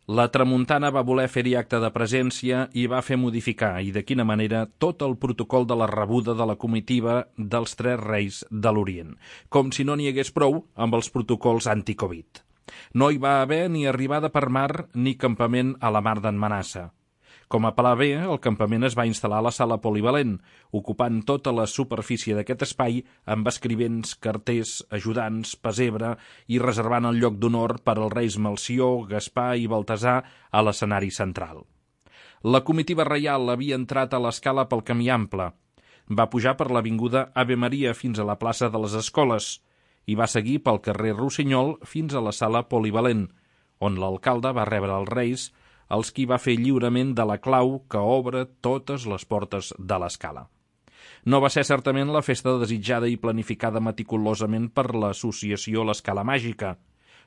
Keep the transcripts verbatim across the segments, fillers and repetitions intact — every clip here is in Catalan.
La tramuntana va voler fer-hi acte de presència i va fer modificar, i de quina manera, tot el protocol de la rebuda de la comitiva dels Tres Reis de l'Orient, com si no n'hi hagués prou amb els protocols anti-Covid. No hi va haver ni arribada per mar ni campament a la mar d'en Manassa. Com a pla B, el campament es va instal·lar a la sala polivalent, ocupant tota la superfície d'aquest espai amb escrivents, carters, ajudants, pesebre i reservant el lloc d'honor per als reis Melcior, Gaspar i Baltasar a l'escenari central. La comitiva reial havia entrat a l'escala pel camí ample. Va pujar per l'avinguda Ave Maria fins a la plaça de les Escoles i va seguir pel carrer Rossinyol fins a la sala polivalent, on l'alcalde va rebre els reis, els qui va fer lliurament de la clau que obre totes les portes de l'escala. No va ser certament la festa desitjada i planificada meticulosament per l'associació L'Escala Màgica.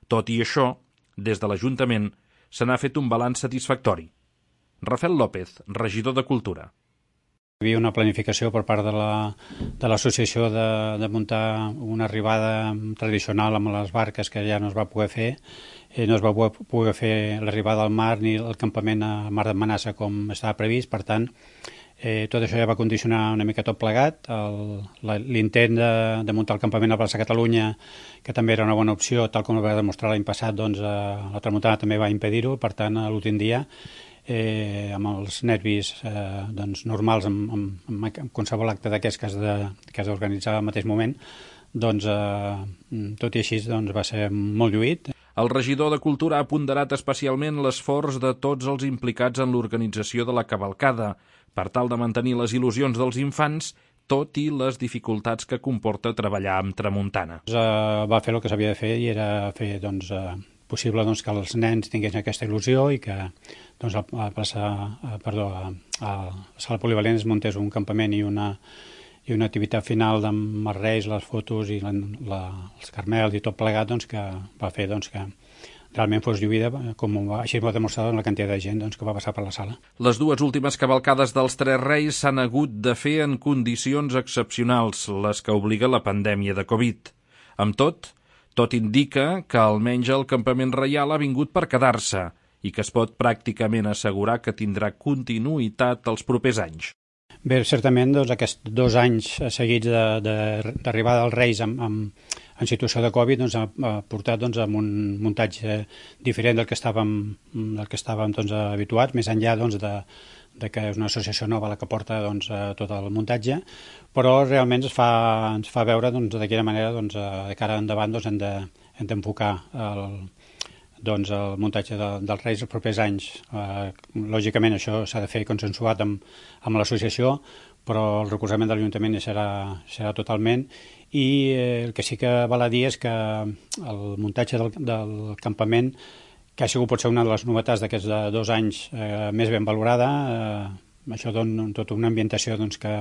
Tot i això, des de l'Ajuntament se n'ha fet un balanç satisfactori. Rafael López, regidor de Cultura. Hi havia una planificació per part de la, de l'associació de, de muntar una arribada tradicional amb les barques que ja no es va poder fer. Eh, no es va poder fer l'arribada al mar ni el campament a Mar de Manassa com estava previst, per tant, eh, tot això ja va condicionar una mica tot plegat. L'intent de, de muntar el campament a la plaça Catalunya, que també era una bona opció, tal com va demostrar l'any passat, doncs, eh, la tramuntana també va impedir-ho, per tant, a l'últim dia, eh, amb els nervis eh, doncs, normals, amb, amb, amb qualsevol acte d'aquests que has d'organitzar al mateix moment, doncs, eh, tot i així, doncs, va ser molt lluït. El regidor de Cultura ha ponderat especialment l'esforç de tots els implicats en l'organització de la cavalcada, per tal de mantenir les il·lusions dels infants, tot i les dificultats que comporta treballar amb tramuntana. Uh, va fer el que s'havia de fer i era fer doncs, uh, possible doncs, que els nens tinguessin aquesta il·lusió i que doncs, a, a, plaça, a, perdó, a, a la sala polivalent es muntés un campament i una, i una activitat final amb els reis, les fotos i la, la, els carmels i tot plegat doncs, que va fer doncs, que realment fos lluïda, com va, així va demostrar la quantitat de gent doncs, que va passar per la sala. Les dues últimes cavalcades dels Tres Reis s'han hagut de fer en condicions excepcionals, les que obliga la pandèmia de Covid. Amb tot, tot indica que almenys el campament reial ha vingut per quedar-se i que es pot pràcticament assegurar que tindrà continuïtat els propers anys. Bé, certament, doncs, aquests dos anys seguits d'arribada dels Reis amb, amb, en situació de Covid doncs, ha, ha portat doncs, a un muntatge diferent del que estàvem, del que estàvem doncs, habituats, més enllà doncs, de, de que és una associació nova la que porta doncs, tot el muntatge, però realment ens fa, ens fa veure doncs, de quina manera doncs, de cara endavant doncs, hem de, hem d'enfocar el doncs, el muntatge de, dels Reis els propers anys. Eh, lògicament això s'ha de fer consensuat amb, amb l'associació, però el recolzament de l'Ajuntament serà, serà totalment, i eh, el que sí que val a dir és que el muntatge del, del campament, que ha sigut potser una de les novetats d'aquests dos anys eh, més ben valorada, eh, això dona tota una ambientació doncs, que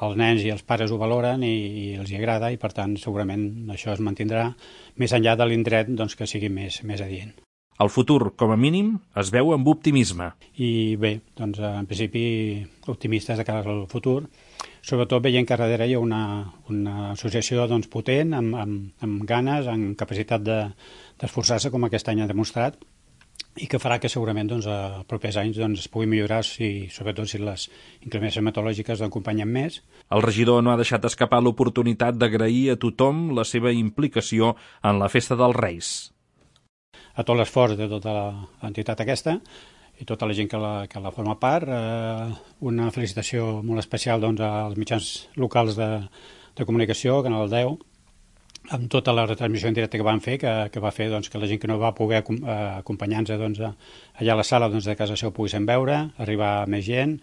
els nens i els pares ho valoren i, i els hi agrada, i per tant segurament això es mantindrà més enllà de l'indret doncs, que sigui més, més adient. El futur, com a mínim, es veu amb optimisme. I bé, doncs en principi optimistes de cara al futur, sobretot veient que darrere hi ha una, una associació doncs, potent, amb, amb, amb ganes, amb capacitat d'esforçar-se, com aquest any ha demostrat, i que farà que segurament doncs, els propers anys doncs, es pugui millorar, si, sobretot si les inclemències meteorològiques l'acompanyen més. El regidor no ha deixat escapar l'oportunitat d'agrair a tothom la seva implicació en la festa dels Reis. A tot l'esforç de tota l'entitat aquesta i tota la gent que la, que la forma part, eh, una felicitació molt especial doncs, als mitjans locals de, de comunicació, Canal deu, amb tota la retransmissió en directe que van fer, que, que va fer doncs, que la gent que no va poder acompanyar-nos doncs, allà a la sala doncs, de casa seu poguessin veure, arribar més gent,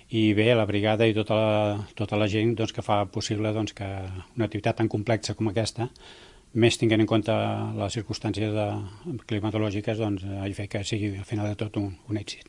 i bé, la brigada i tota la, tota la gent doncs, que fa possible doncs, que una activitat tan complexa com aquesta, més tinguent en compte les circumstàncies de, climatològiques, doncs, ha fet que sigui al final de tot un, un èxit.